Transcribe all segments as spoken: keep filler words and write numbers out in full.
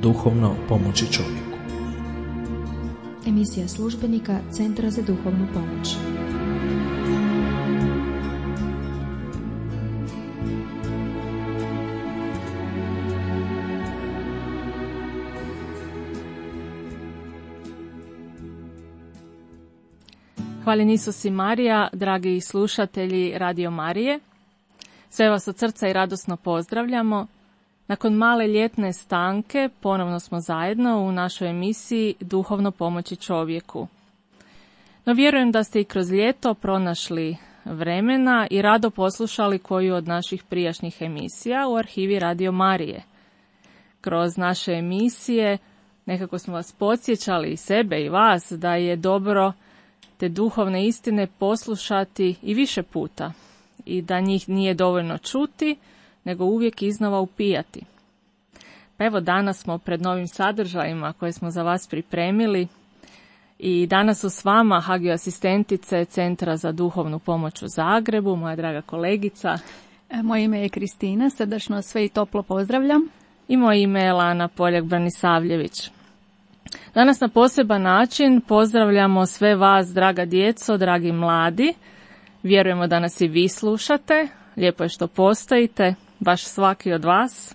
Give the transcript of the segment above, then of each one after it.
duhovno pomoći čovjeku. Emisija službenika Centra za duhovnu pomoć. Hvaljen Isus i Marija, dragi slušatelji Radio Marije. Sve vas od srca i radosno pozdravljamo. Nakon male ljetne stanke ponovno smo zajedno u našoj emisiji Duhovno pomoći čovjeku. No vjerujem da ste i kroz ljeto pronašli vremena i rado poslušali koju od naših prijašnjih emisija u arhivi Radio Marije. Kroz naše emisije nekako smo vas podsjećali, i sebe i vas, da je dobro te duhovne istine poslušati i više puta i da njih nije dovoljno čuti, nego uvijek iznova upijati. Pa evo, danas smo pred novim sadržajima koje smo za vas pripremili i danas su s vama Hagio asistentice Centra za duhovnu pomoć u Zagrebu, moja draga kolegica. Moje ime je Kristina, srdačno sve i toplo pozdravljam. I moje ime je Lana Poljak-Branisavljević. Danas na poseban način pozdravljamo sve vas, draga djeco, dragi mladi. Vjerujemo da nas i vi slušate. Lijepo je što postojite, baš svaki od vas.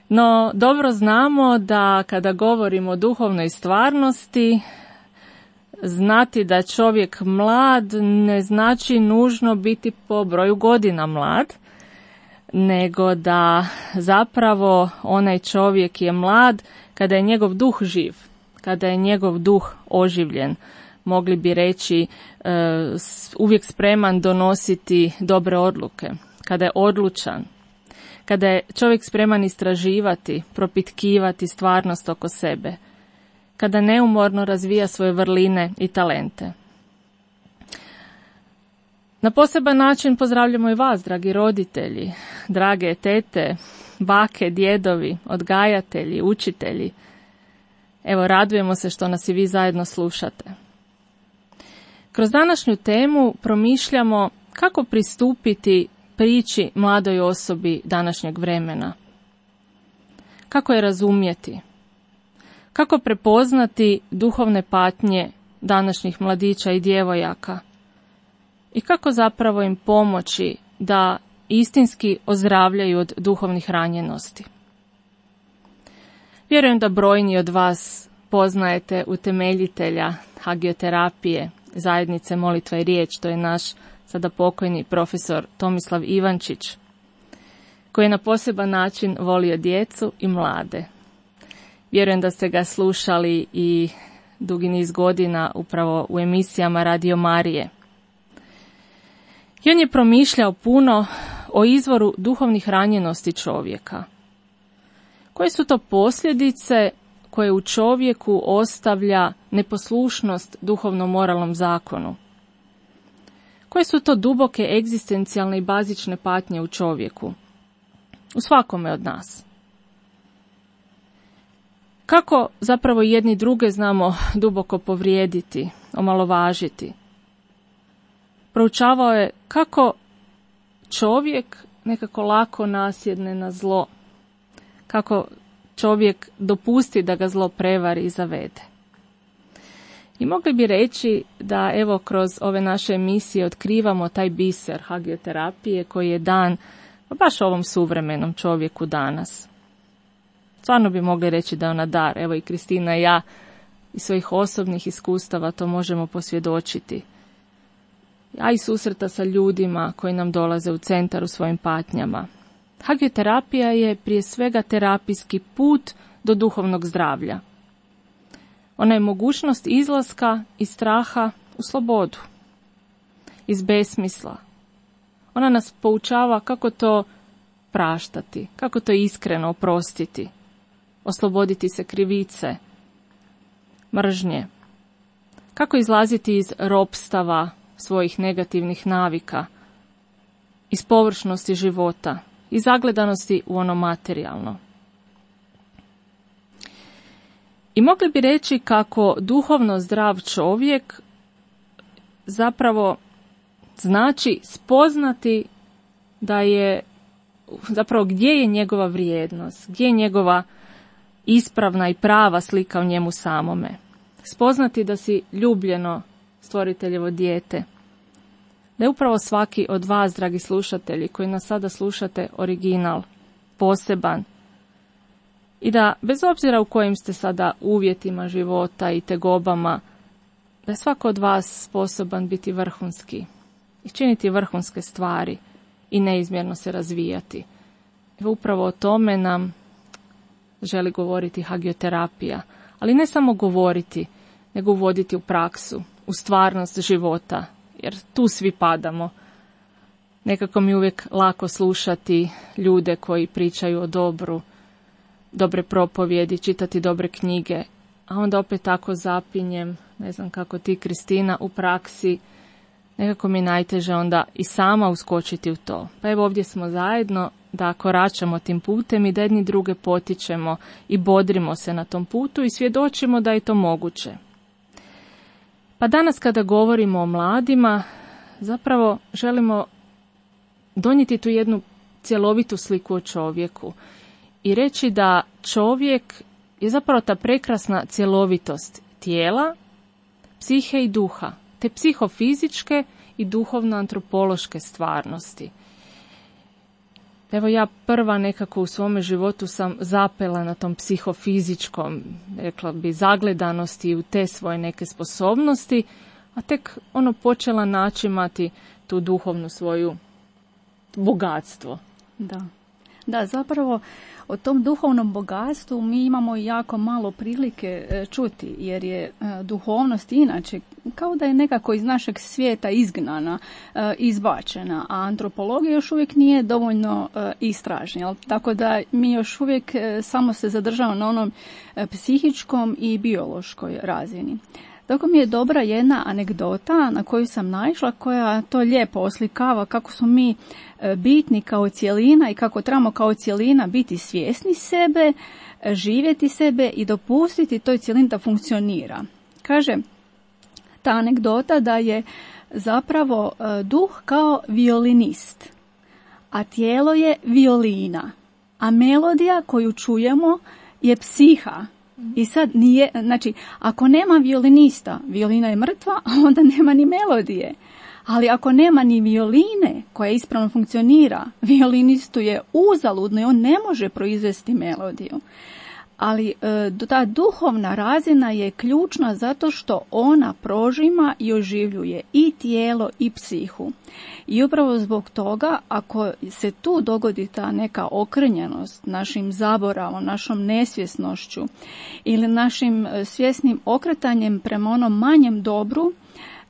No, dobro znamo da kada govorimo o duhovnoj stvarnosti, znati da čovjek mlad ne znači nužno biti po broju godina mlad, nego da zapravo onaj čovjek je mlad kada je njegov duh živ, kada je njegov duh oživljen, mogli bi reći uvijek spreman donositi dobre odluke, kada je odlučan, kada je čovjek spreman istraživati, propitkivati stvarnost oko sebe, kada neumorno razvija svoje vrline i talente. Na poseban način pozdravljamo i vas, dragi roditelji, drage tete, bake, djedovi, odgajatelji, učitelji. Evo, radujemo se što nas i vi zajedno slušate. Kroz današnju temu promišljamo kako pristupiti priči mladoj osobi današnjeg vremena. Kako je razumjeti? Kako prepoznati duhovne patnje današnjih mladića i djevojaka? I kako zapravo im pomoći da istinski ozdravljaju od duhovnih ranjenosti? Vjerujem da brojni od vas poznajete utemeljitelja hagioterapije, zajednice Molitva i riječ, to je naš sada pokojni profesor Tomislav Ivančić, koji je na poseban način volio djecu i mlade. Vjerujem da ste ga slušali i dugi niz godina upravo u emisijama Radio Marije. I on je promišljao puno o izvoru duhovnih ranjenosti čovjeka. Koje su to posljedice koje u čovjeku ostavlja neposlušnost duhovno-moralnom zakonu? Koje su to duboke egzistencijalne i bazične patnje u čovjeku? U svakome od nas. Kako zapravo jedni druge znamo duboko povrijediti, omalovažiti? Proučavao je kako čovjek nekako lako nasjedne na zlo, kako čovjek dopusti da ga zlo prevari i zavede. I mogli bi reći da evo kroz ove naše emisije otkrivamo taj biser hagioterapije koji je dan baš ovom suvremenom čovjeku danas. Stvarno bi mogli reći da je ona dar. Evo i Kristina i ja iz svojih osobnih iskustava to možemo posvjedočiti. A i susreta sa ljudima koji nam dolaze u centar u svojim patnjama. Hagioterapija je prije svega terapijski put do duhovnog zdravlja. Ona je mogućnost izlaska iz straha u slobodu, iz besmisla. Ona nas poučava kako to praštati, kako to iskreno oprostiti, osloboditi se krivice, mržnje, kako izlaziti iz ropstava svojih negativnih navika, iz površnosti života i zagledanosti u ono materijalno. I mogli bi reći kako duhovno zdrav čovjek zapravo znači spoznati da je zapravo gdje je njegova vrijednost, gdje je njegova ispravna i prava slika o njemu samome. Spoznati da si ljubljeno stvoriteljevo dijete. Da je upravo svaki od vas, dragi slušatelji, koji nas sada slušate, original, poseban. I da, bez obzira u kojim ste sada uvjetima života i tegobama, da je svako od vas sposoban biti vrhunski i činiti vrhunske stvari i neizmjerno se razvijati. Evo upravo o tome nam želi govoriti hagioterapija, ali ne samo govoriti, nego uvoditi u praksu, u stvarnost života, jer tu svi padamo. Nekako mi uvijek lako slušati ljude koji pričaju o dobru, dobre propovjedi, čitati dobre knjige, a onda opet tako zapinjem, ne znam kako ti, Kristina, u praksi, nekako mi najteže onda i sama uskočiti u to. Pa evo ovdje smo zajedno da koračamo tim putem i da jedni druge potičemo i bodrimo se na tom putu i svjedočimo da je to moguće. Pa danas kada govorimo o mladima, zapravo želimo donijeti tu jednu cjelovitu sliku o čovjeku i reći da čovjek je zapravo ta prekrasna cjelovitost tijela, psihe i duha, te psihofizičke i duhovno-antropološke stvarnosti. Evo ja prva nekako u svome životu sam zapela na tom psihofizičkom, rekla bi, zagledanosti u te svoje neke sposobnosti, a tek ono počela načimati tu duhovnu svoju bogatstvo. Da. Da, zapravo o tom duhovnom bogatstvu mi imamo jako malo prilike čuti, jer je duhovnost inače kao da je nekako iz našeg svijeta izgnana, izbačena, a antropologija još uvijek nije dovoljno istražena. Tako da mi još uvijek samo se zadržavamo na onom psihičkom i biološkoj razini. Dok mi je dobra jedna anegdota na koju sam naišla, koja to lijepo oslikava kako su mi bitni kao cjelina i kako trebamo kao cjelina biti svjesni sebe, živjeti sebe i dopustiti toj cjelini da funkcionira. Kaže ta anegdota da je zapravo duh kao violinist, a tijelo je violina, a melodija koju čujemo je psiha. I sad nije, znači, ako nema violinista, violina je mrtva, a onda nema ni melodije. Ali ako nema ni violine koja ispravno funkcionira, violinistu je uzaludno i on ne može proizvesti melodiju. Ali e, ta duhovna razina je ključna zato što ona prožima i oživljuje i tijelo i psihu. I upravo zbog toga, ako se tu dogodi ta neka okrnjenost našim zaboravom, našom nesvjesnošću ili našim svjesnim okretanjem prema onom manjem dobru,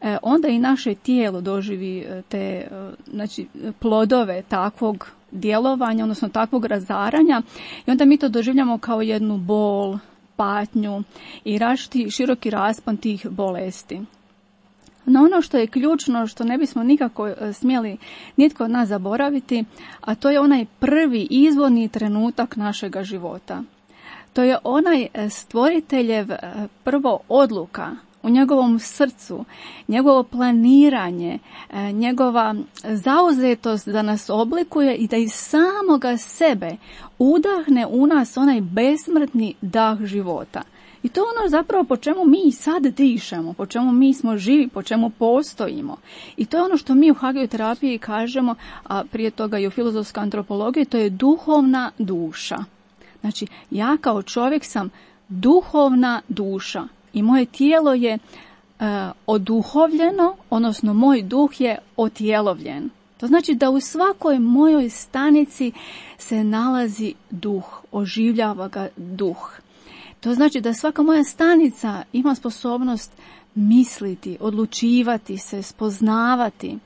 e, onda i naše tijelo doživi te znači, plodove takvog djelovanja, odnosno takvog razaranja, i onda mi to doživljamo kao jednu bol, patnju i rašti široki raspon tih bolesti. No ono što je ključno, što ne bismo nikako smjeli nitko od nas zaboraviti, a to je onaj prvi izvorni trenutak našega života. To je onaj stvoriteljev prvo odluka u njegovom srcu, njegovo planiranje, njegova zauzetost da nas oblikuje i da iz samoga sebe udahne u nas onaj besmrtni dah života. I to je ono zapravo po čemu mi sad dišemo, po čemu mi smo živi, po čemu postojimo. I to je ono što mi u hagioterapiji kažemo, a prije toga i u filozofskoj antropologiji, to je duhovna duša. Znači, ja kao čovjek sam duhovna duša. I moje tijelo je e, oduhovljeno, odnosno moj duh je otjelovljen. To znači da u svakoj mojoj stanici se nalazi duh, oživljava ga duh. To znači da svaka moja stanica ima sposobnost misliti, odlučivati se, spoznavati.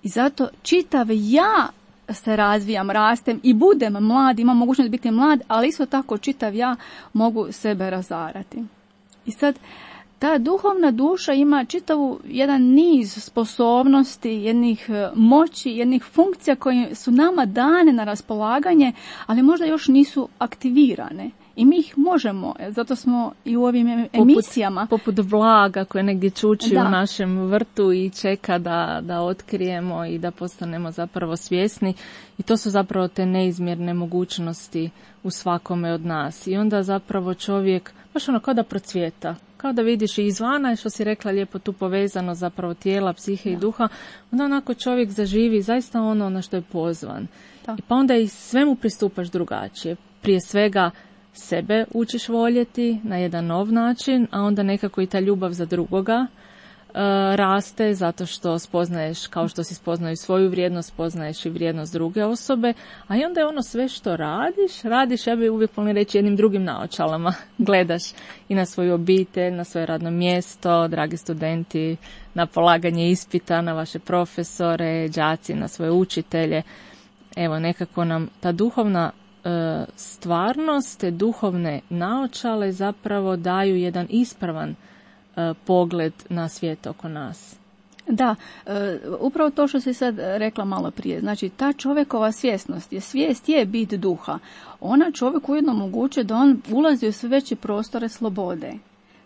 I zato čitav ja se razvijam, rastem i budem mlad, imam mogućnost biti mlad, ali isto tako čitav ja mogu sebe razarati. I sad, ta duhovna duša ima čitavu jedan niz sposobnosti, jednih moći, jednih funkcija koje su nama dane na raspolaganje, ali možda još nisu aktivirane. I I mi ih možemo, zato smo i u ovim emisijama. Poput, poput vlaga koje negdje čuči da. u našem vrtu i čeka da, da otkrijemo i da postanemo zapravo svjesni. I to su zapravo te neizmjerne mogućnosti u svakome od nas. I onda zapravo čovjek, baš ono kao da procvjeta. Kao da vidiš i izvana, što si rekla lijepo tu povezano zapravo tijela, psihe da. i duha, onda onako čovjek zaživi zaista ono na što je pozvan. Da. I pa onda i svemu pristupaš drugačije. Prije svega sebe učiš voljeti na jedan nov način, a onda nekako i ta ljubav za drugoga e, raste zato što spoznaješ, kao što si spoznaju svoju vrijednost, spoznaješ i vrijednost druge osobe, a i onda je ono sve što radiš, radiš, ja bih uvijek volim reći jednim drugim naočalama, gledaš i na svoju obitelj, na svoje radno mjesto, dragi studenti, na polaganje ispita, na vaše profesore, đaci, na svoje učitelje. Evo, nekako nam ta duhovna e, stvarnost, te duhovne naočale zapravo daju jedan ispravan e, pogled na svijet oko nas. Da, e, upravo to što si sad rekla malo prije. Znači, ta čovjekova svjesnost, je svijest je bit duha. Ona čovjeku ujedno omogućuje da on ulazi u sve veće prostore slobode.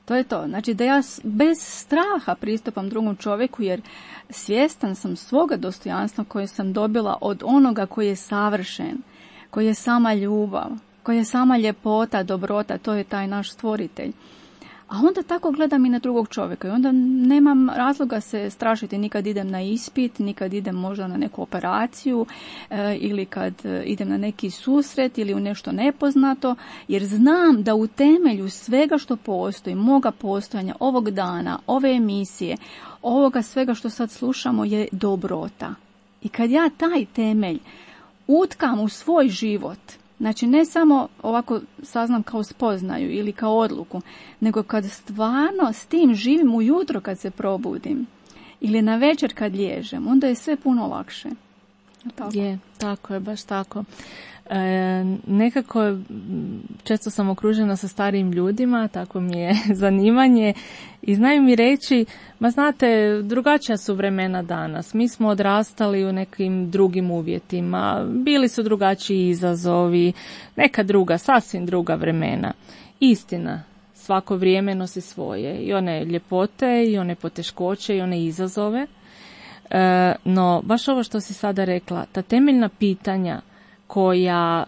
To je to. Znači da ja bez straha pristupam drugom čovjeku jer svjestan sam svoga dostojanstva koje sam dobila od onoga koji je savršen, koji je sama ljubav, koji je sama ljepota, dobrota, to je taj naš stvoritelj. A onda tako gledam i na drugog čovjeka i onda nemam razloga se strašiti nikad idem na ispit, nikad idem možda na neku operaciju e, ili kad idem na neki susret ili u nešto nepoznato, jer znam da u temelju svega što postoji, moga postojanja, ovog dana, ove emisije, ovoga svega što sad slušamo je dobrota. I kad ja taj temelj utkam u svoj život, znači ne samo ovako saznam kao spoznaju ili kao odluku, nego kad stvarno s tim živim ujutro kad se probudim ili na večer kad liježem, onda je sve puno lakše. Tako. Je, tako je, baš tako. E, nekako često sam okružena sa starijim ljudima, tako mi je zanimanje i znaju mi reći, ma znate, drugačija su vremena danas, mi smo odrastali u nekim drugim uvjetima, bili su drugačiji izazovi, neka druga, sasvim druga vremena. Istina, svako vrijeme nosi svoje, i one ljepote, i one poteškoće, i one izazove, e, no baš ovo što si sada rekla, ta temeljna pitanja koja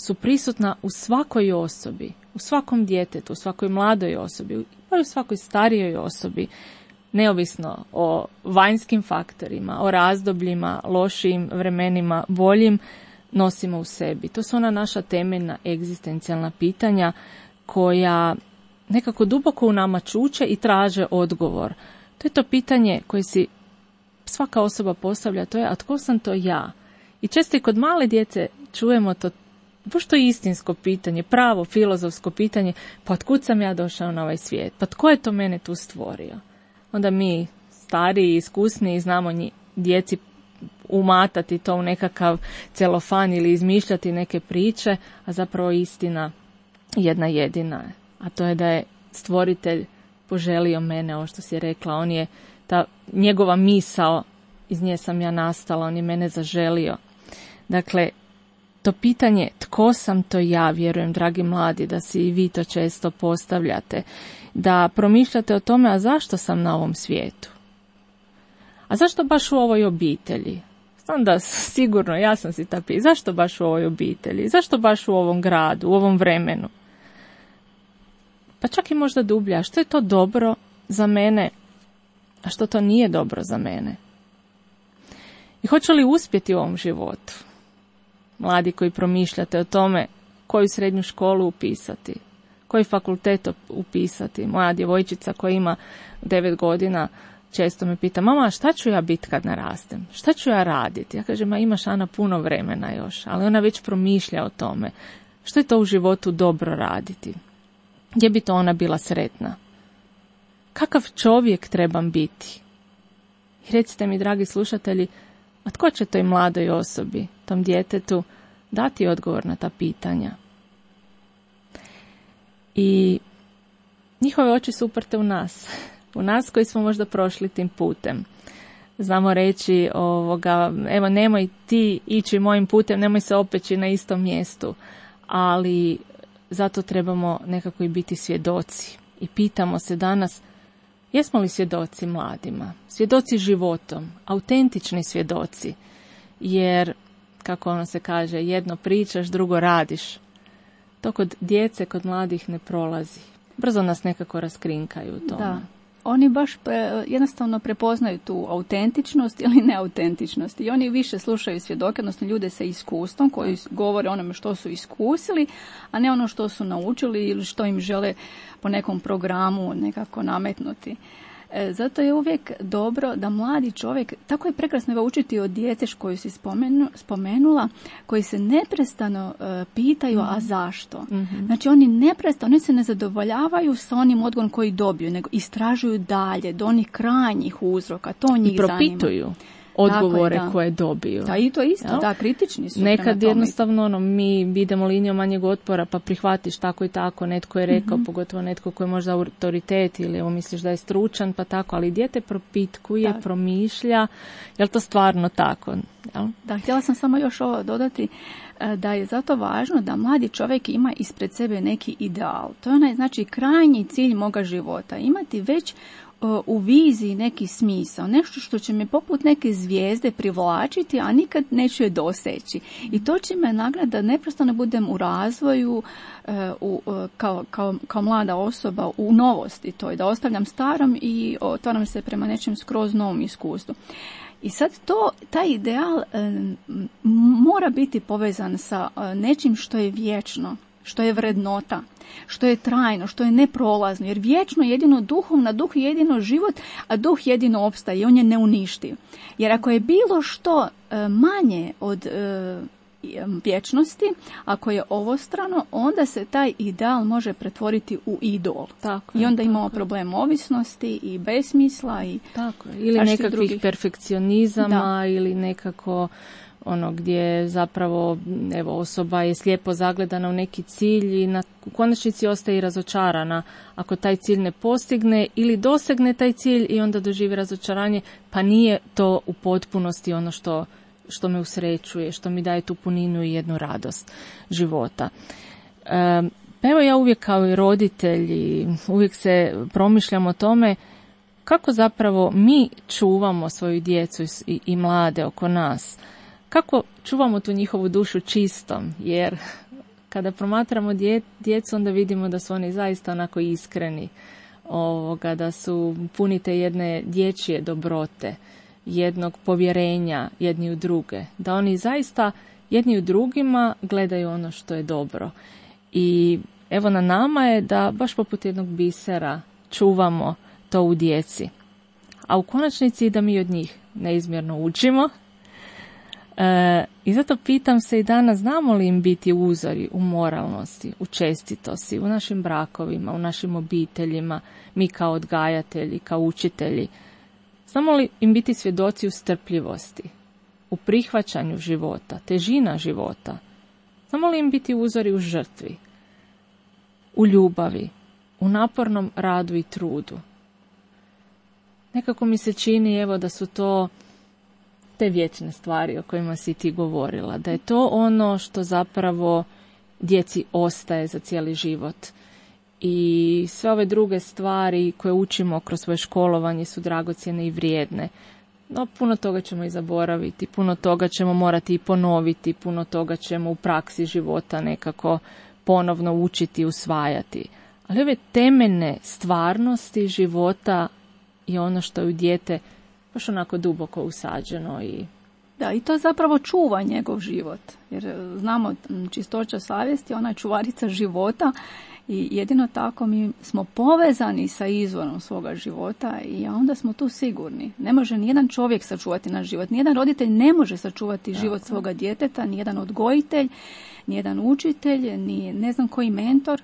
su prisutna u svakoj osobi, u svakom djetetu, u svakoj mladoj osobi, pa i u svakoj starijoj osobi, neovisno o vanjskim faktorima, o razdobljima, lošim vremenima, boljim, nosimo u sebi. To su ona naša temeljna egzistencijalna pitanja koja nekako duboko u nama čuče i traže odgovor. To je to pitanje koje si svaka osoba postavlja, to je, a tko sam to ja? I često i kod male djece čujemo to, baš to istinsko pitanje, pravo filozofsko pitanje, pa otkud sam ja došao na ovaj svijet? Pa tko je to mene tu stvorio? Onda mi, stariji, iskusniji, znamo nji, djeci umatati to u nekakav celofan ili izmišljati neke priče, a zapravo istina jedna jedina je. A to je da je stvoritelj poželio mene, ovo što si rekla, on je ta njegova misao, iz nje sam ja nastala, on je mene zaželio. Dakle, to pitanje tko sam to ja, vjerujem, dragi mladi, da si i vi to često postavljate, da promišljate o tome, a zašto sam na ovom svijetu? A zašto baš u ovoj obitelji? Znam da sigurno, ja sam si ta pitanja, zašto baš u ovoj obitelji? Zašto baš u ovom gradu, u ovom vremenu? Pa čak i možda dublje, a što je to dobro za mene, a što to nije dobro za mene? I hoću li uspjeti u ovom životu? Mladi koji promišljate o tome koju srednju školu upisati, koji fakultet upisati. Moja djevojčica koja ima devet godina često me pita, mama, šta ću ja biti kad narastem? Šta ću ja raditi? Ja kažem, ma imaš, Ana, puno vremena još, ali ona već promišlja o tome. Što je to u životu dobro raditi? Gdje bi to ona bila sretna? Kakav čovjek trebam biti? I recite mi, dragi slušatelji, a tko će toj mladoj osobi, tom djetetu, dati odgovor na ta pitanja? I njihove oči su uprte u nas, u nas koji smo možda prošli tim putem. Znamo reći, ovoga, evo, nemoj ti ići mojim putem, nemoj se opeći na istom mjestu, ali zato trebamo nekako i biti svjedoci. I pitamo se danas, jesmo li svjedoci mladima? Svjedoci životom, autentični svjedoci. Jer, kako ono se kaže, jedno pričaš, drugo radiš. To kod djece, kod mladih ne prolazi. Brzo nas nekako raskrinkaju u tome. Da. Oni baš pre, jednostavno prepoznaju tu autentičnost ili neautentičnost. I oni više slušaju svjedoke, odnosno ljude sa iskustvom koji govore onome što su iskusili, a ne ono što su naučili ili što im žele po nekom programu nekako nametnuti. E, zato je uvijek dobro da mladi čovjek, tako je prekrasno ga učiti od djece koju si spomenu, spomenula, koji se neprestano e, pitaju, mm-hmm. a zašto? Mm-hmm. Znači oni neprestano, oni se ne zadovoljavaju sa onim odgovorom koji dobiju, nego istražuju dalje, do onih krajnjih uzroka, to njih I propituju. Zanima. Odgovore je, da. koje dobiju. Da, i to isto, ja? Da, kritični su. Nekad jednostavno ono, mi idemo linijom manjeg otpora pa prihvatiš tako i tako, netko je rekao, mm-hmm. pogotovo netko koji je možda autoritet ili evo, misliš da je stručan pa tako, ali dijete propitkuje, da. promišlja, je li to stvarno tako? Jel? Da, htjela sam samo još ovo dodati, da je zato važno da mladi čovjek ima ispred sebe neki ideal. To je onaj, znači, krajnji cilj moga života. Imati već u viziji neki smisao, nešto što će me poput neke zvijezde privlačiti, a nikad neću je doseći. I to će me nagraditi da neprestano budem u razvoju u, kao, kao, kao mlada osoba u novosti, to je da ostavljam starom i otvaram se prema nečem skroz novom iskustvu. I sad to, taj ideal e, mora biti povezan sa e, nečim što je vječno, što je vrednota, što je trajno, što je neprolazno, jer vječno jedino duhovna, duh je jedino život, a duh jedino opstaje i on je neuništiv. Jer ako je bilo što e, manje od e, vječnosti, ako je ovostrano, onda se taj ideal može pretvoriti u idol. Tako I onda je, imamo problem ovisnosti i besmisla i tako je. Ili nekakvih drugih perfekcionizama, da. Ili nekako ono gdje zapravo evo osoba je slijepo zagledana u neki cilj i na u konačnici ostaje i razočarana ako taj cilj ne postigne ili dosegne taj cilj i onda doživi razočaranje, pa nije to u potpunosti ono što što me usrećuje, što mi daje tu puninu i jednu radost života. E, pa evo ja uvijek kao i roditelji, uvijek se promišljam o tome kako zapravo mi čuvamo svoju djecu i, i mlade oko nas. Kako čuvamo tu njihovu dušu čistom, jer kada promatramo dje, djecu onda vidimo da su oni zaista onako iskreni, ovoga, da su puni te jedne dječje dobrote, jednog povjerenja jedni u druge, da oni zaista jedni u drugima gledaju ono što je dobro. I evo na nama je da baš poput jednog bisera čuvamo to u djeci, a u konačnici da mi od njih neizmjerno učimo. E, I zato pitam se i danas, znamo li im biti uzori u moralnosti, u čestitosti, u našim brakovima, u našim obiteljima, mi kao odgajatelji, kao učitelji. Znamo li im biti svjedoci u strpljivosti, u prihvaćanju života, težina života? Znamo li im biti uzori u žrtvi, u ljubavi, u napornom radu i trudu? Nekako mi se čini evo da su to te vječne stvari o kojima si ti govorila, da je to ono što zapravo djeci ostaje za cijeli život. I sve ove druge stvari koje učimo kroz svoje školovanje su dragocjene i vrijedne. No, puno toga ćemo i zaboraviti, puno toga ćemo morati i ponoviti, puno toga ćemo u praksi života nekako ponovno učiti i usvajati. Ali ove temeljne stvarnosti života je ono što je u dijete baš onako duboko usađeno. I da, i to zapravo čuva njegov život. Jer znamo, čistoća savjesti, ona je čuvarica života. I jedino tako mi smo povezani sa izvorom svoga života i onda smo tu sigurni. Ne može nijedan čovjek sačuvati naš život, nijedan roditelj ne može sačuvati tako život svoga djeteta, nijedan odgojitelj, nijedan učitelj, ni ne znam koji mentor,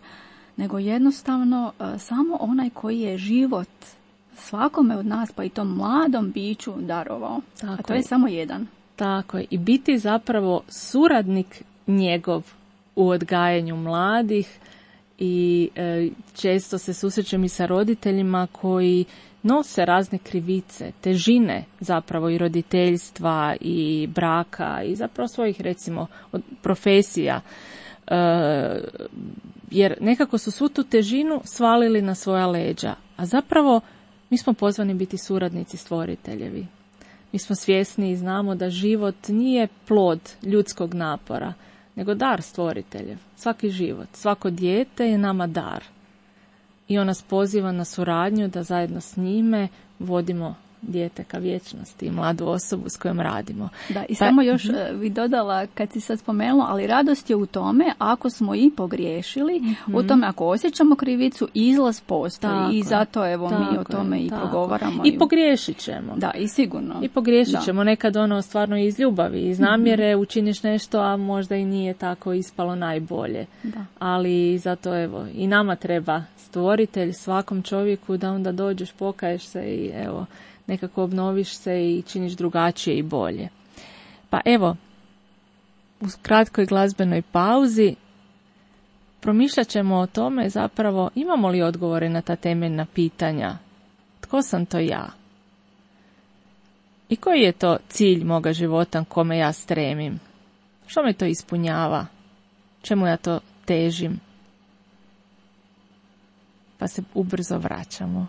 nego jednostavno uh, samo onaj koji je život svakome od nas, pa i tom mladom biću darovao. Tako A to je, je samo jedan. Tako je. I biti zapravo suradnik njegov u odgajanju mladih. I e, često se susrećem i sa roditeljima koji nose razne krivice, težine zapravo i roditeljstva i braka i zapravo svojih recimo profesija. E, jer nekako su svu tu težinu svalili na svoja leđa, a zapravo mi smo pozvani biti suradnici stvoriteljevi. Mi smo svjesni i znamo da život nije plod ljudskog napora, nego dar stvoriteljev. Svaki život, svako dijete je nama dar. I on nas poziva na suradnju da zajedno s njime vodimo dijete ka vječnosti i mladu osobu s kojom radimo. Da, i pa, samo još uh, bi dodala, kad si sad spomenula, ali radost je u tome ako smo i pogriješili, mm-hmm. u tome ako osjećamo krivicu, izlaz postoji tako, i zato evo mi o tome je, i tako. progovaramo. I pogriješit ćemo. Da, i sigurno. I pogriješit da. ćemo, nekad ono stvarno iz ljubavi, iz namjere mm-hmm. učiniš nešto, a možda i nije tako ispalo najbolje. Da. Ali zato evo, i nama treba stvoritelj, svakom čovjeku da onda dođeš, pokaješ se i evo, nekako obnoviš se i činiš drugačije i bolje. Pa evo, u kratkoj glazbenoj pauzi promišljat ćemo o tome zapravo imamo li odgovore na ta temeljna pitanja. Tko sam to ja? I koji je to cilj moga života kome ja stremim? Što me to ispunjava? Čemu ja to težim? Pa se ubrzo vraćamo.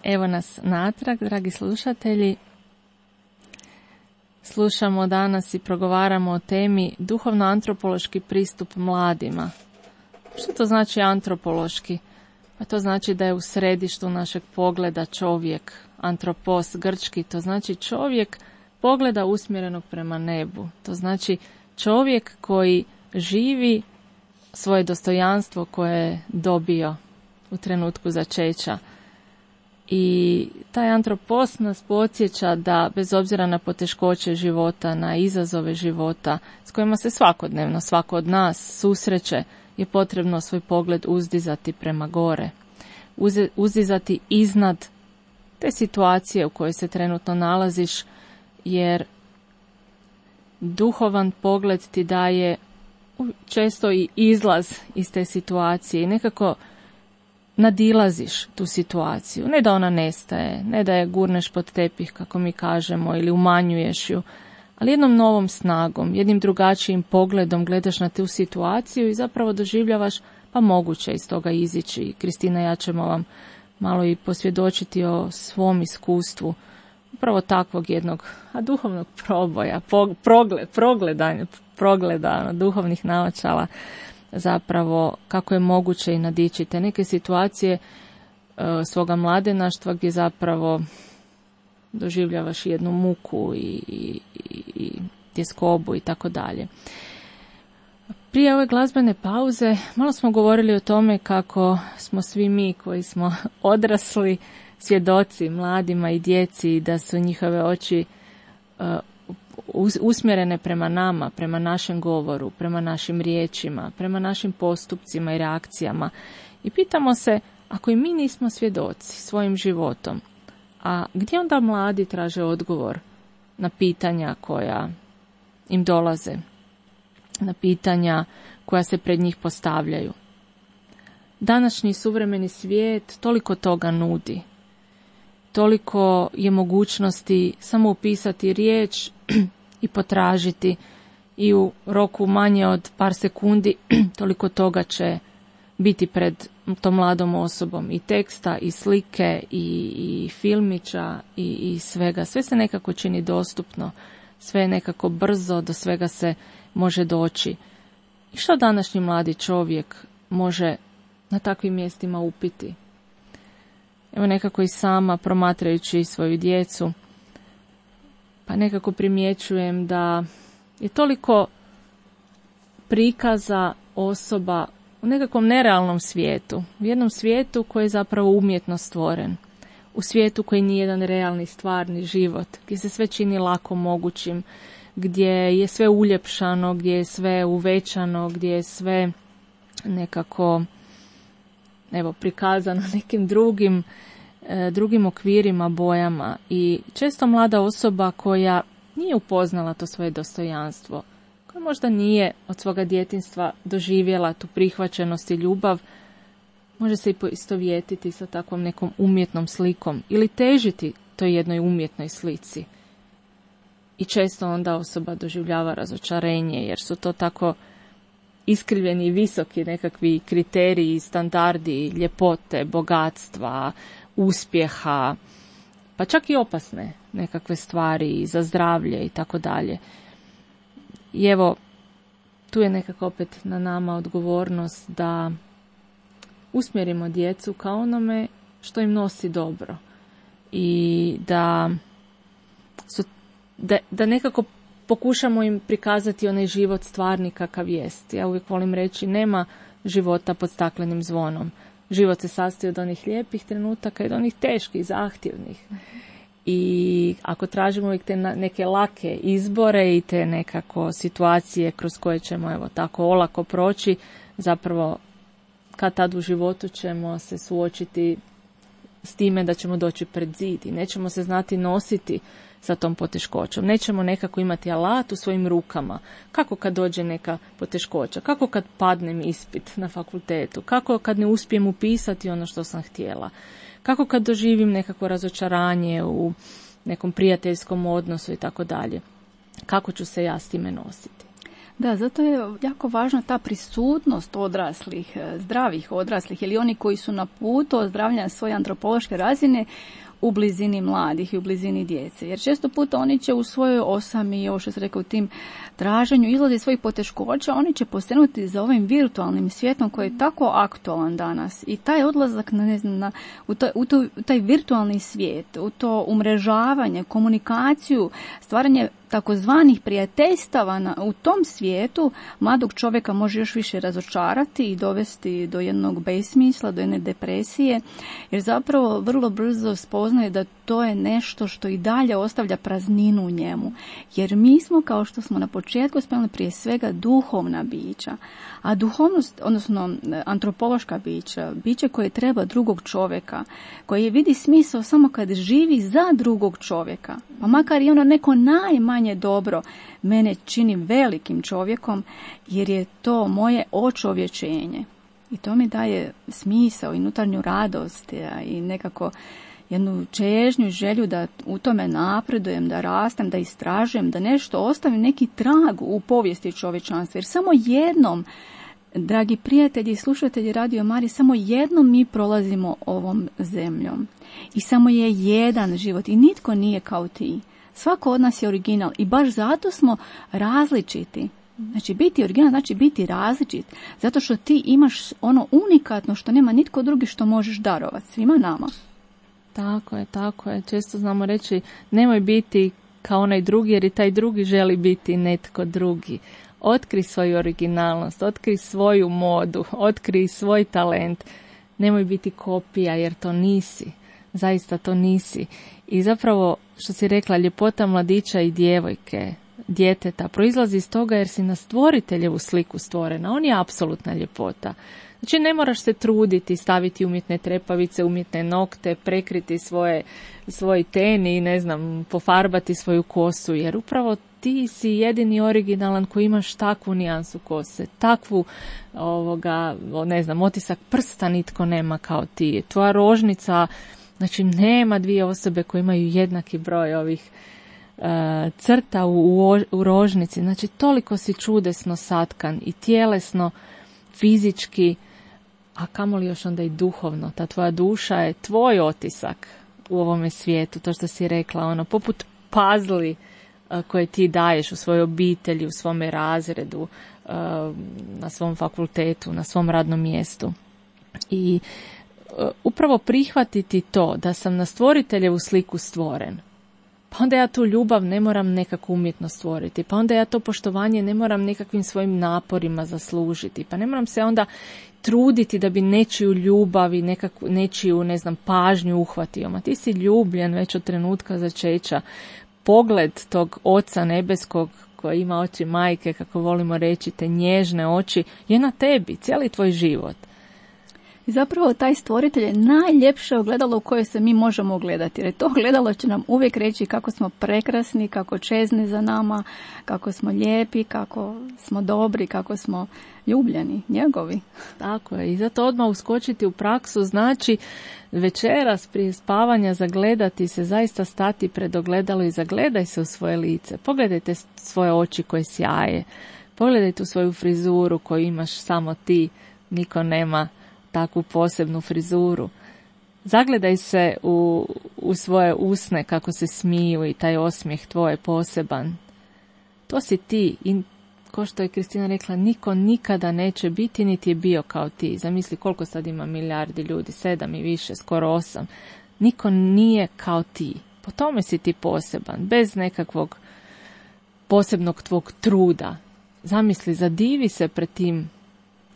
Evo nas natrag, dragi slušatelji. Slušamo danas i progovaramo o temi duhovno-antropološki pristup mladima. Što to znači antropološki? Pa to znači da je u središtu našeg pogleda čovjek, antropos grčki, to znači čovjek pogleda usmjerenog prema nebu. To znači čovjek koji živi svoje dostojanstvo koje je dobio u trenutku začeća. I taj antropos nas podsjeća da bez obzira na poteškoće života, na izazove života s kojima se svakodnevno svako od nas susreće, je potrebno svoj pogled uzdizati prema gore. Uze, uzdizati iznad te situacije u kojoj se trenutno nalaziš, jer duhovan pogled ti daje često i izlaz iz te situacije i nekako nadilaziš tu situaciju. Ne da ona nestaje, ne da je gurneš pod tepih, kako mi kažemo, ili umanjuješ ju, ali jednom novom snagom, jednim drugačijim pogledom gledaš na tu situaciju i zapravo doživljavaš, pa moguće iz toga izići. Kristina, ja ćemo vam malo i posvjedočiti o svom iskustvu upravo takvog jednog a duhovnog proboja, progled, progledanja, progleda duhovnih naočala, zapravo kako je moguće i nadići te neke situacije e, svoga mladenaštva gdje zapravo doživljavaš jednu muku i, i, i tjeskobu i tako dalje. Prije ove glazbene pauze malo smo govorili o tome kako smo svi mi koji smo odrasli svjedoci mladima i djeci, da su njihove oči uh, usmjerene prema nama, prema našem govoru, prema našim riječima, prema našim postupcima i reakcijama. I pitamo se, ako i mi nismo svjedoci svojim životom, a gdje onda mladi traže odgovor na pitanja koja im dolaze, na pitanja koja se pred njih postavljaju? Današnji suvremeni svijet toliko toga nudi. Toliko je mogućnosti samo upisati riječ i potražiti i u roku manje od par sekundi toliko toga će biti pred tom mladom osobom, i teksta, i slike, i, i filmića, i, i svega. Sve se nekako čini dostupno, sve je nekako brzo, do svega se može doći. I što današnji mladi čovjek može na takvim mjestima upiti? Evo nekako i sama promatrajući svoju djecu, pa nekako primjećujem da je toliko prikaza osoba u nekakvom nerealnom svijetu, u jednom svijetu koji je zapravo umjetno stvoren, u svijetu koji nije jedan realni, stvarni život, gdje se sve čini lako mogućim, gdje je sve uljepšano, gdje je sve uvećano, gdje je sve nekako evo prikazano nekim drugim, e, drugim okvirima, bojama. I često mlada osoba koja nije upoznala to svoje dostojanstvo, koja možda nije od svoga djetinjstva doživjela tu prihvaćenost i ljubav, može se i poistovjetiti sa takvom nekom umjetnom slikom ili težiti toj jednoj umjetnoj slici. I često onda osoba doživljava razočarenje, jer su to tako iskrivljeni i visoki nekakvi kriteriji, standardi, ljepote, bogatstva, uspjeha, pa čak i opasne nekakve stvari za zdravlje i tako dalje. I evo, tu je nekako opet na nama odgovornost da usmjerimo djecu ka onome što im nosi dobro i da, su, da, da nekako pokušamo im prikazati onaj život stvarni kakav jest. Ja uvijek volim reći, nema života pod staklenim zvonom. Život se sastoji od onih lijepih trenutaka i od onih teških, zahtjevnih. I ako tražimo uvijek te neke lake izbore i te nekako situacije kroz koje ćemo evo tako olako proći, zapravo kad tad u životu ćemo se suočiti s time da ćemo doći pred zid i nećemo se znati nositi sa tom poteškoćom. Nećemo nekako imati alat u svojim rukama. Kako kad dođe neka poteškoća? Kako kad padnem ispit na fakultetu? Kako kad ne uspijem upisati ono što sam htjela? Kako kad doživim nekako razočaranje u nekom prijateljskom odnosu i tako dalje? Kako ću se ja s time nositi? Da, zato je jako važna ta prisutnost odraslih, zdravih odraslih ili oni koji su na putu ozdravljanja svoje antropološke razine u blizini mladih i u blizini djece. Jer često puta oni će u svojoj osami, ovo što se rekao, u tim traženju izlazi svojih poteškoća, oni će posegnuti za ovim virtualnim svijetom koji je tako aktualan danas. I taj odlazak na, ne znam, na, u, to, u, to, u taj virtualni svijet, u to umrežavanje, komunikaciju, stvaranje takozvanih prijateljstava na, u tom svijetu mladog čovjeka može još više razočarati i dovesti do jednog besmisla, do jedne depresije, jer zapravo vrlo brzo spoznaje da to je nešto što i dalje ostavlja prazninu u njemu. Jer mi smo, kao što smo na početku spomenuli, prije svega duhovna bića. A duhovnost, odnosno antropološka bića, biće koje treba drugog čovjeka, koje vidi smisao samo kad živi za drugog čovjeka, pa makar i ono neko najmanje najmanje dobro mene čini velikim čovjekom, jer je to moje očovječenje. I to mi daje smisao i unutarnju radost i nekako jednu čežnju, želju da u tome napredujem, da rastem, da istražujem, da nešto ostavim, neki trag u povijesti čovječanstva. Jer samo jednom, dragi prijatelji i slušatelji Radio Marije, samo jednom mi prolazimo ovom zemljom. I samo je jedan život i nitko nije kao ti. Svako od nas je original i baš zato smo različiti. Znači, biti original znači biti različit. Zato što ti imaš ono unikatno što nema nitko drugi što možeš darovati svima nama. Tako je, tako je. Često znamo reći nemoj biti kao onaj drugi jer i taj drugi želi biti netko drugi. Otkri svoju originalnost, otkri svoju modu, otkri svoj talent. Nemoj biti kopija jer to nisi. Zaista to nisi. I zapravo, što si rekla, ljepota mladića i djevojke, djeteta, proizlazi iz toga jer si na stvoriteljevu sliku stvorena. On je apsolutna ljepota. Znači, ne moraš se truditi, staviti umjetne trepavice, umjetne nokte, prekriti svoje, svoj ten i, ne znam, pofarbati svoju kosu, jer upravo ti si jedini originalan koji imaš takvu nijansu kose, takvu, ovoga, ne znam, otisak prsta nitko nema kao ti. Tvoja rožnica, znači, nema dvije osobe koje imaju jednaki broj ovih uh, crta u, u, u rožnici. Znači, toliko si čudesno satkan i tjelesno, fizički, a kamoli još onda i duhovno. Ta tvoja duša je tvoj otisak u ovome svijetu, to što si rekla, ono, poput pazli uh, koje ti daješ u svojoj obitelji, u svome razredu, uh, na svom fakultetu, na svom radnom mjestu. I uh, upravo prihvatiti to da sam na stvoriteljevu sliku stvoren, pa onda ja tu ljubav ne moram nekako umjetno stvoriti, pa onda ja to poštovanje ne moram nekakvim svojim naporima zaslužiti, pa ne moram se onda truditi da bi nečiju ljubav i nekakvu, nečiju, ne znam, pažnju uhvatio. Ma ti si ljubljen već od trenutka začeća. Pogled tog Oca nebeskog koji ima oči majke, kako volimo reći, te nježne oči, je na tebi, cijeli tvoj život. I zapravo taj stvoritelj je najljepše ogledalo u koje se mi možemo ogledati. Jer to ogledalo će nam uvijek reći kako smo prekrasni, kako čezni za nama, kako smo lijepi, kako smo dobri, kako smo ljubljeni, njegovi. Tako je. I zato odmah uskočiti u praksu znači večeras prije spavanja zagledati se, zaista stati pred ogledalo i zagledaj se u svoje lice. Pogledajte svoje oči koje sjaje. Pogledajte u svoju frizuru koju imaš samo ti, niko nema takvu posebnu frizuru. Zagledaj se u, u svoje usne kako se smiju i taj osmijeh tvoj je poseban. To si ti i ko što je Kristina rekla, niko nikada neće biti niti je bio kao ti. Zamisli koliko sad ima milijardi ljudi, sedam i više, skoro osam. Niko nije kao ti. Po tome si ti poseban, bez nekakvog posebnog tvog truda. Zamisli, zadivi se pred tim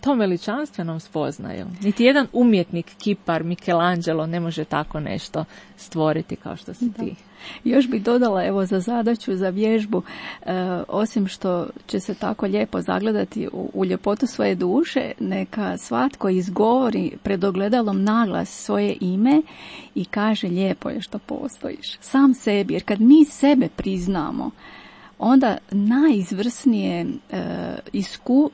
tom veličanstvenom spoznaju. Niti jedan umjetnik, kipar, Michelangelo ne može tako nešto stvoriti kao što si ti. Da. Još bih dodala evo za zadaću, za vježbu, e, osim što će se tako lijepo zagledati u, u ljepotu svoje duše, neka svatko izgovori pred ogledalom naglas svoje ime i kaže lijepo je što postojiš. Sam sebi, jer kad mi sebe priznamo, onda najizvrsnije e, isku,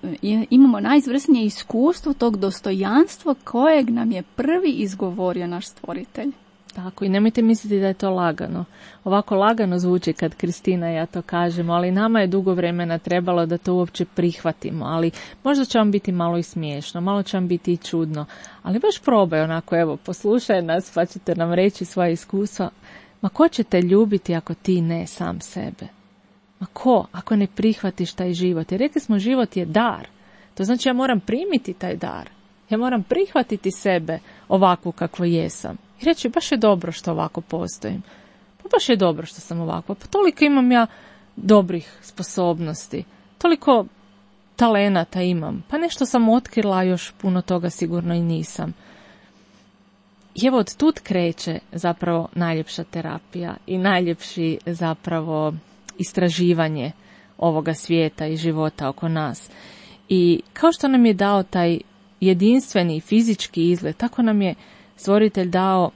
imamo najizvrsnije iskustvo tog dostojanstva kojeg nam je prvi izgovorio naš stvoritelj. Tako, i nemojte misliti da je to lagano. Ovako lagano zvuči kad Kristina i ja to kažemo, ali nama je dugo vremena trebalo da to uopće prihvatimo, ali možda će vam biti malo i smiješno, malo će vam biti i čudno, ali baš probaj onako, evo, poslušaj nas pa ćete nam reći svoje iskustva. Ma ko će te ljubiti ako ti ne sam sebe? Ma ko, ako ne prihvatiš taj život? Jer rekli smo, život je dar. To znači ja moram primiti taj dar. Ja moram prihvatiti sebe ovakvu kakvo jesam. I reći, baš je dobro što ovako postojim. Pa baš je dobro što sam ovako. Pa toliko imam ja dobrih sposobnosti. Toliko talenata imam. Pa nešto sam otkrila, još puno toga sigurno i nisam. I evo od tud kreće zapravo najljepša terapija i najljepši zapravo istraživanje ovoga svijeta i života oko nas. I kao što nam je dao taj jedinstveni fizički izgled, tako nam je stvoritelj dao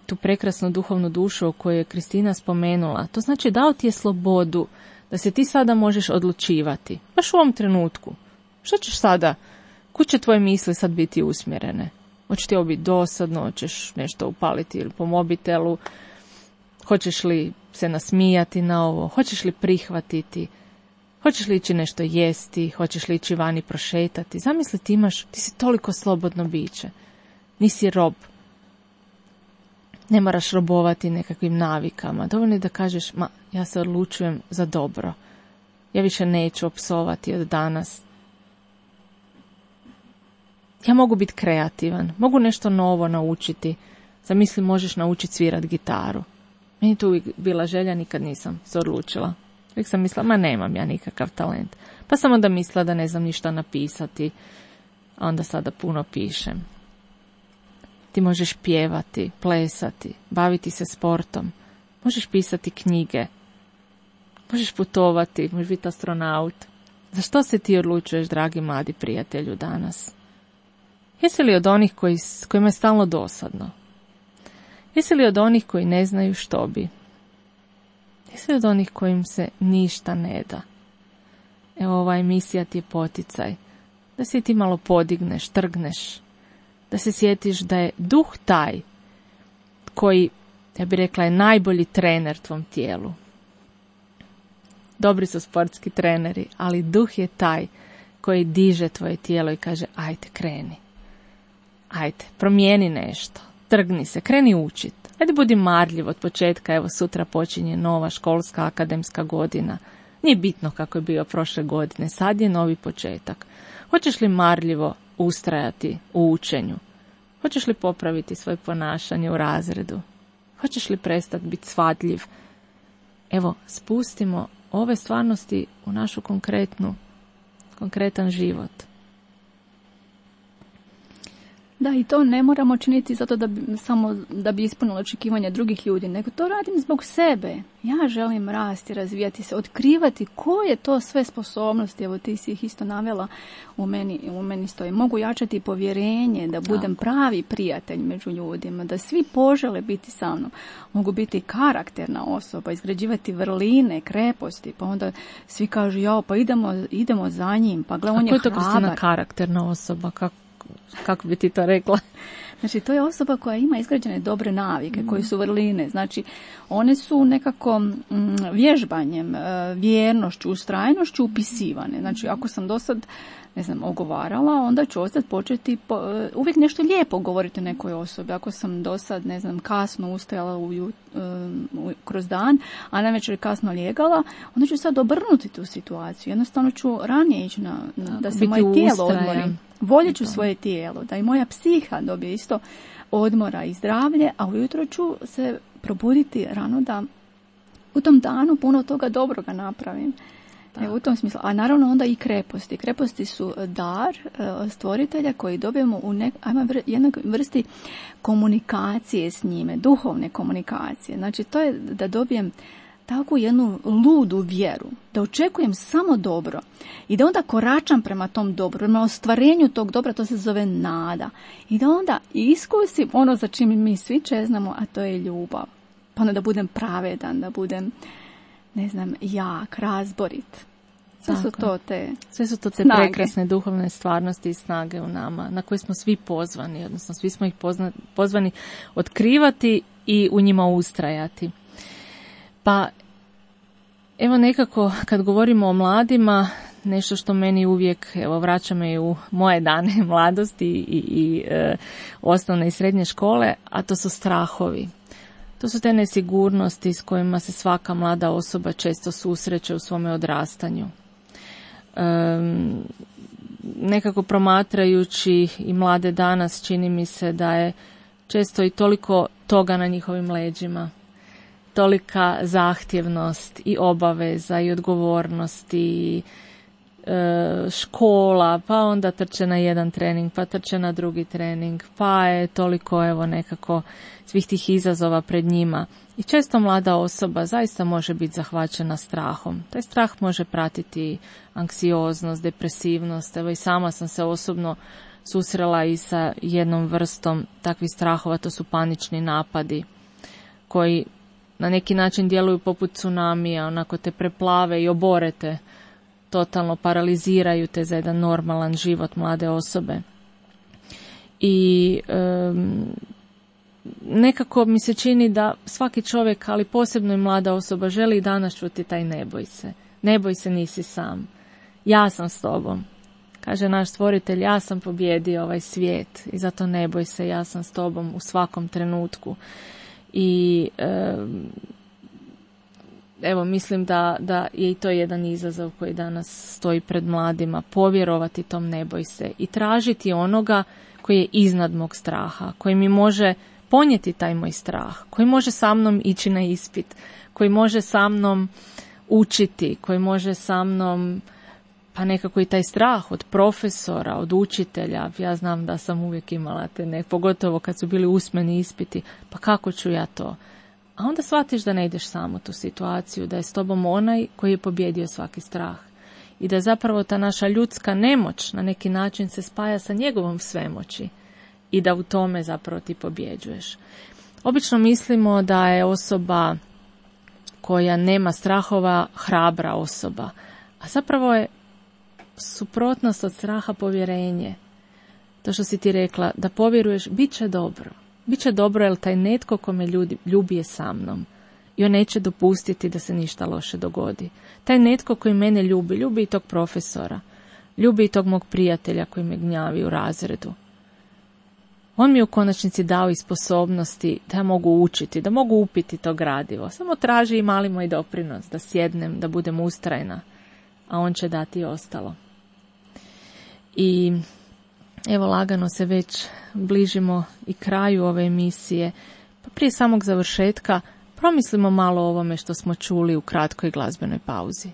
tu prekrasnu duhovnu dušu o kojoj je Kristina spomenula. To znači dao ti je slobodu da se ti sada možeš odlučivati. Baš u ovom trenutku. Što ćeš sada? Kud će tvoje misli sad biti usmjerene? Hoće ti ovo biti dosadno, hoćeš nešto upaliti ili po mobitelu, hoćeš li se nasmijati na ovo, hoćeš li prihvatiti, hoćeš li ići nešto jesti, hoćeš li ići vani prošetati. Zamisli ti imaš, ti si toliko slobodno biće, nisi rob. Ne moraš robovati nekakvim navikama. Dovoljno je da kažeš, ma, ja se odlučujem za dobro. Ja više neću opsovati od danas. Ja mogu biti kreativan, mogu nešto novo naučiti. Zamisli, možeš naučiti svirat gitaru. Meni tu uvijek bila želja, nikad nisam se odlučila. Uvijek sam mislila, ma nemam ja nikakav talent. Pa sam onda mislila da ne znam ništa napisati, a onda sada puno pišem. Ti možeš pjevati, plesati, baviti se sportom, možeš pisati knjige, možeš putovati, možeš biti astronaut. Za što se ti odlučuješ, dragi mladi prijatelju, danas? Jesi li od onih koji, kojima je stalno dosadno? Jesi li od onih koji ne znaju što bi? Jesi li od onih kojim se ništa ne da? Evo, ova emisija ti je poticaj da se ti malo podigneš, trgneš, da se sjetiš da je duh taj koji, ja bih rekla, je najbolji trener tvom tijelu. Dobri su sportski treneri, ali duh je taj koji diže tvoje tijelo i kaže, ajde, kreni. Ajde, promijeni nešto, trgni se, kreni učit. Ajde, budi marljiv od početka, evo sutra počinje nova školska akademska godina. Nije bitno kako je bio prošle godine, sad je novi početak. Hoćeš li marljivo ustrajati u učenju? Hoćeš li popraviti svoje ponašanje u razredu? Hoćeš li prestati biti svadljiv? Evo, spustimo ove stvarnosti u našu konkretnu, konkretan život. Da, i to ne moramo činiti zato da bi, samo da bi ispunilo očekivanja drugih ljudi, nego to radim zbog sebe. Ja želim rasti, razvijati se, otkrivati koje to sve sposobnosti, evo ti si ih isto navela, u meni, u meni stoji. Mogu jačati povjerenje, da budem Tako. pravi prijatelj među ljudima, da svi požele biti sa mnom. Mogu biti karakterna osoba, izgrađivati vrline, kreposti, pa onda svi kažu, jao, pa idemo, idemo za njim, pa gle, on je hrabar. A koja je to, Kristina, karakterna osoba? Kako? Kako bi ti to rekla? Znači, to je osoba koja ima izgrađene dobre navike, koje su vrline. Znači, one su nekako mm, vježbanjem, vjernošću, ustrajnošću upisivane. Znači, ako sam do sad, ne znam, ogovarala, onda ću ostati početi po, uvijek nešto lijepo govoriti o nekoj osobi. Ako sam do sad, ne znam, kasno ustajala u, um, kroz dan, a navečer kasno lijegala, onda ću sad obrnuti tu situaciju. Jednostavno ću ranije ići na, na da se moje tijelo odmori. Voljet ću svoje tijelo, da i moja psiha dobije isto odmora i zdravlje, a ujutro ću se probuditi rano da u tom danu puno toga dobroga napravim. Evo, u tom smislu. A naravno onda i kreposti. Kreposti su dar e, stvoritelja koji dobijemo u nek, ajmo, vr, jednoj vrsti komunikacije s njime, duhovne komunikacije. Znači, to je da dobijem takvu jednu ludu vjeru, da očekujem samo dobro i da onda koračam prema tom dobru, prema ostvarenju tog dobra, to se zove nada. I da onda iskusim ono za čim mi svi čeznamo, a to je ljubav. Pa onda da budem pravedan, da budem, ne znam, jak, razborit. Sve su to te Sve su to te snage. Prekrasne duhovne stvarnosti i snage u nama, na koje smo svi pozvani, odnosno svi smo ih pozna, pozvani otkrivati i u njima ustrajati. Pa, evo nekako, kad govorimo o mladima, nešto što meni uvijek, evo, vraća me u moje dane mladosti i, i, i e, osnovne i srednje škole, a to su strahovi. To su te nesigurnosti s kojima se svaka mlada osoba često susreće u svome odrastanju. E, nekako promatrajući i mlade danas, čini mi se da je često i toliko toga na njihovim leđima. Tolika zahtjevnost i obaveza i odgovornost i e, škola, pa onda trče na jedan trening, pa trče na drugi trening, pa je toliko evo nekako svih tih izazova pred njima. I često mlada osoba zaista može biti zahvaćena strahom. Taj strah može pratiti anksioznost, depresivnost. Evo i sama sam se osobno susrela i sa jednom vrstom takvih strahova, to su panični napadi. koji na neki način djeluju poput tsunamija, onako te preplave i oborete, totalno paraliziraju te za jedan normalan život mlade osobe. I um, nekako mi se čini da svaki čovjek, ali posebno i mlada osoba, želi danas čuti taj ne boj se. Ne boj se, nisi sam. Ja sam s tobom. Kaže naš stvoritelj, ja sam pobjedio ovaj svijet i zato ne boj se, ja sam s tobom u svakom trenutku. I um, evo, mislim da, da je i to jedan izazov koji danas stoji pred mladima, povjerovati tom ne boj se i tražiti onoga koji je iznad mog straha, koji mi može ponijeti taj moj strah, koji može sa mnom ići na ispit, koji može sa mnom učiti, koji može sa mnom, pa nekako i taj strah od profesora, od učitelja. Ja znam da sam uvijek imala te, ne, pogotovo kad su bili usmeni ispiti, pa kako ću ja to? A onda shvatiš da ne ideš sam u tu situaciju, da je s tobom onaj koji je pobjedio svaki strah. I da zapravo ta naša ljudska nemoć na neki način se spaja sa njegovom svemoći i da u tome zapravo ti pobjeđuješ. Obično mislimo da je osoba koja nema strahova hrabra osoba, a zapravo je suprotnost od straha povjerenje. To što si ti rekla, da povjeruješ, bit će dobro. Biće dobro jer taj netko ko me ljubi, ljubi je sa mnom i on neće dopustiti da se ništa loše dogodi. Taj netko koji mene ljubi, ljubi i tog profesora, ljubi i tog mog prijatelja koji me gnjavi u razredu. On mi je u konačnici dao i sposobnosti da mogu učiti, da mogu upiti to gradivo. Samo traži i mali moj doprinos, da sjednem, da budem ustrajna, a on će dati ostalo. I evo, lagano se već bližimo i kraju ove emisije, pa prije samog završetka promislimo malo o ovome što smo čuli u kratkoj glazbenoj pauzi.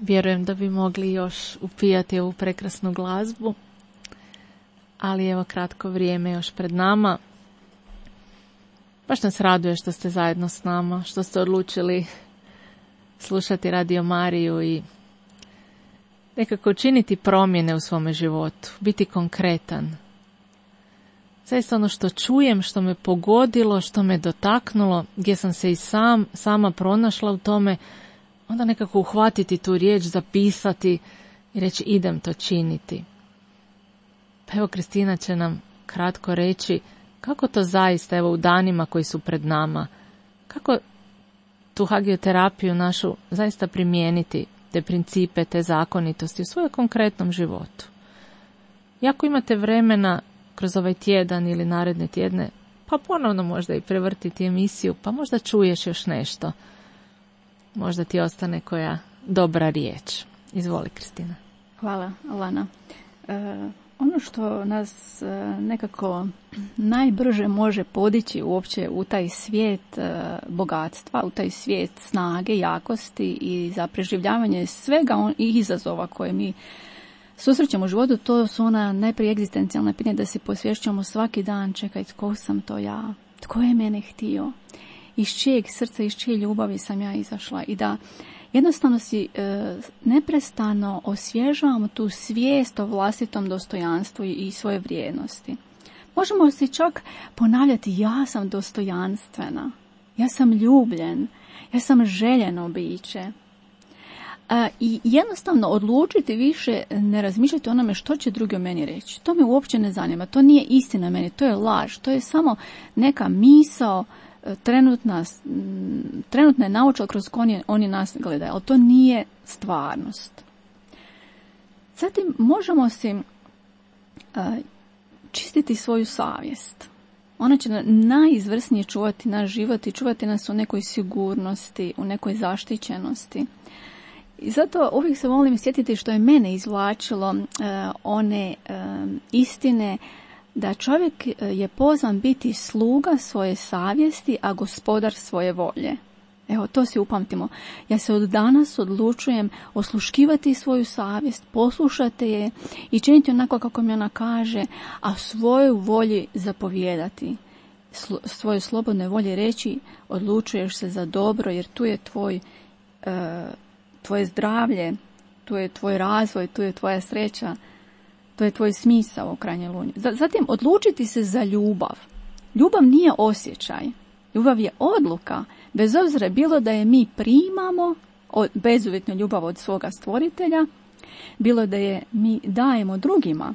Vjerujem da bi mogli još upijati ovu prekrasnu glazbu, ali evo, kratko vrijeme još pred nama. Baš nas raduje što ste zajedno s nama, što ste odlučili slušati Radio Mariju i nekako činiti promjene u svome životu, biti konkretan. Zaista ono što čujem, što me pogodilo, što me dotaknulo, gdje sam se i sam, sama pronašla u tome, onda nekako uhvatiti tu riječ, zapisati i reći idem to činiti. Pa evo, Kristina će nam kratko reći kako to zaista, evo, u danima koji su pred nama, kako tu hagioterapiju našu zaista primijeniti, te principe, te zakonitosti u svojem konkretnom životu. I ako imate vremena kroz ovaj tjedan ili naredne tjedne, pa ponovno možda i prevrtiti emisiju, pa možda čuješ još nešto. Možda ti ostane koja dobra riječ. Izvoli, Kristina. Hvala, Alana. E, ono što nas nekako najbrže može podići uopće u taj svijet bogatstva, u taj svijet snage, jakosti i za preživljavanje svega on, i izazova koje mi susrećemo u životu, to su ona najprije egzistencijalna pitanja, da se posvješćamo svaki dan, čekaj, tko sam to ja, tko je mene htio, iz čijeg srca, iz čije ljubavi sam ja izašla, i da jednostavno si e, neprestano osvježavamo tu svijest o vlastitom dostojanstvu i, i svoje vrijednosti. Možemo si čak ponavljati, ja sam dostojanstvena, ja sam ljubljen, ja sam željeno biće. A, i jednostavno odlučiti više ne razmišljati o onome što će drugi o meni reći. To me uopće ne zanima, to nije istina meni, to je laž, to je samo neka misao, trenutna, trenutna je nauča kroz koju oni, oni nas gledaju, ali to nije stvarnost. Zatim možemo si a, čistiti svoju savjest. Ona će najizvrsnije čuvati naš život i čuvati nas u nekoj sigurnosti, u nekoj zaštićenosti. I zato uvijek se volim sjetiti što je mene izvlačilo uh, one uh, istine da čovjek je pozvan biti sluga svoje savjesti, a gospodar svoje volje. Evo, to si upamtimo. Ja se od danas odlučujem osluškivati svoju savjest, poslušati je i činiti onako kako mi ona kaže, a svoju volji zapovijedati. Slo, svoje slobodne volje reći, odlučuješ se za dobro, jer tu je tvoj uh, tvoje zdravlje, tu je tvoj razvoj, tu je tvoja sreća, to je tvoj smisao u krajnjoj liniji. Zatim, odlučiti se za ljubav. Ljubav nije osjećaj. Ljubav je odluka. Bez obzira bilo da je mi primamo bezuvjetnu ljubav od svoga stvoritelja, bilo da je mi dajemo drugima.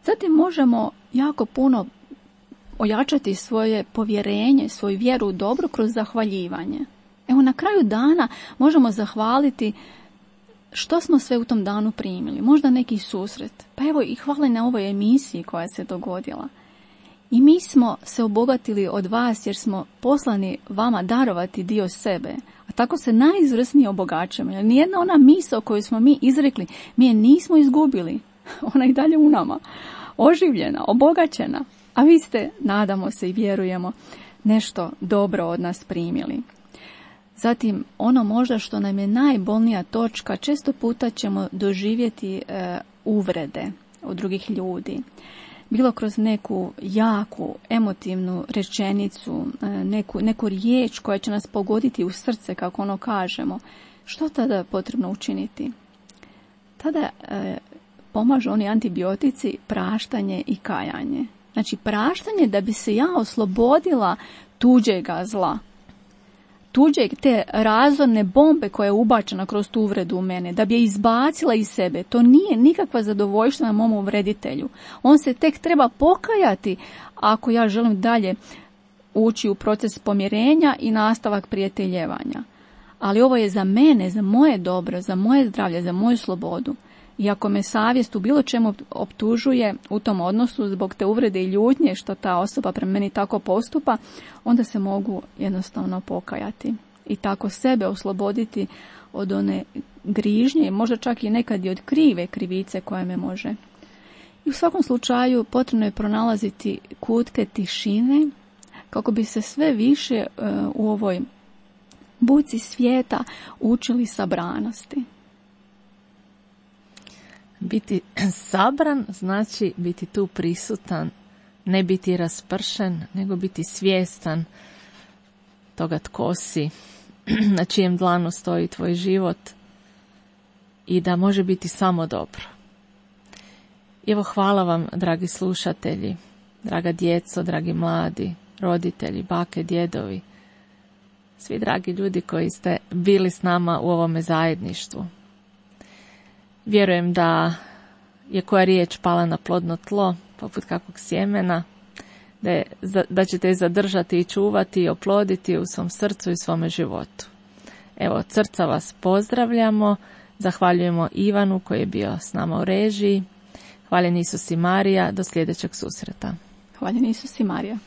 Zatim možemo jako puno ojačati svoje povjerenje, svoju vjeru u dobro kroz zahvaljivanje. Evo, na kraju dana možemo zahvaliti što smo sve u tom danu primili. Možda neki susret. Pa evo i hvala na ovoj emisiji koja se dogodila. I mi smo se obogatili od vas jer smo poslani vama darovati dio sebe. A tako se najizvrsnije obogaćujemo. Jer nijedna ona misao koju smo mi izrekli, mi je nismo izgubili. Ona je i dalje u nama. Oživljena, obogaćena. A vi ste, nadamo se i vjerujemo, nešto dobro od nas primili. Zatim, ono možda što nam je najbolnija točka, često puta ćemo doživjeti e, uvrede od drugih ljudi. Bilo kroz neku jaku, emotivnu rečenicu, e, neku, neku riječ koja će nas pogoditi u srce, kako ono kažemo. Što tada je potrebno učiniti? Tada e, pomažu oni antibiotici, praštanje i kajanje. Znači, praštanje da bi se ja oslobodila tuđega zla. Tuđeg, te razorne bombe koja je ubačena kroz tu uvredu u mene, da bi je izbacila iz sebe. To nije nikakva zadovoljština mom uvreditelju. On se tek treba pokajati ako ja želim dalje ući u proces pomirenja i nastavak prijateljevanja. Ali ovo je za mene, za moje dobro, za moje zdravlje, za moju slobodu. I ako me savjest u bilo čemu optužuje u tom odnosu zbog te uvrede i ljutnje što ta osoba prema meni tako postupa, onda se mogu jednostavno pokajati i tako sebe osloboditi od one grižnje, možda čak i nekad i od krive krivice koja me može. I u svakom slučaju potrebno je pronalaziti kutke tišine kako bi se sve više uh, u ovoj buci svijeta učili sabranosti. Biti sabran znači biti tu prisutan, ne biti raspršen, nego biti svjestan toga tko si, na čijem dlanu stoji tvoj život i da može biti samo dobro. Evo, hvala vam, dragi slušatelji, draga djeco, dragi mladi, roditelji, bake, djedovi, svi dragi ljudi koji ste bili s nama u ovome zajedništvu. Vjerujem da je koja riječ pala na plodno tlo, poput kakvog sjemena, da, je, da ćete je zadržati i čuvati i oploditi u svom srcu i svome životu. Evo, od srca vas pozdravljamo, zahvaljujemo Ivanu koji je bio s nama u režiji. Hvaljen Isus i Marija, do sljedećeg susreta. Hvaljen Isus i Marija.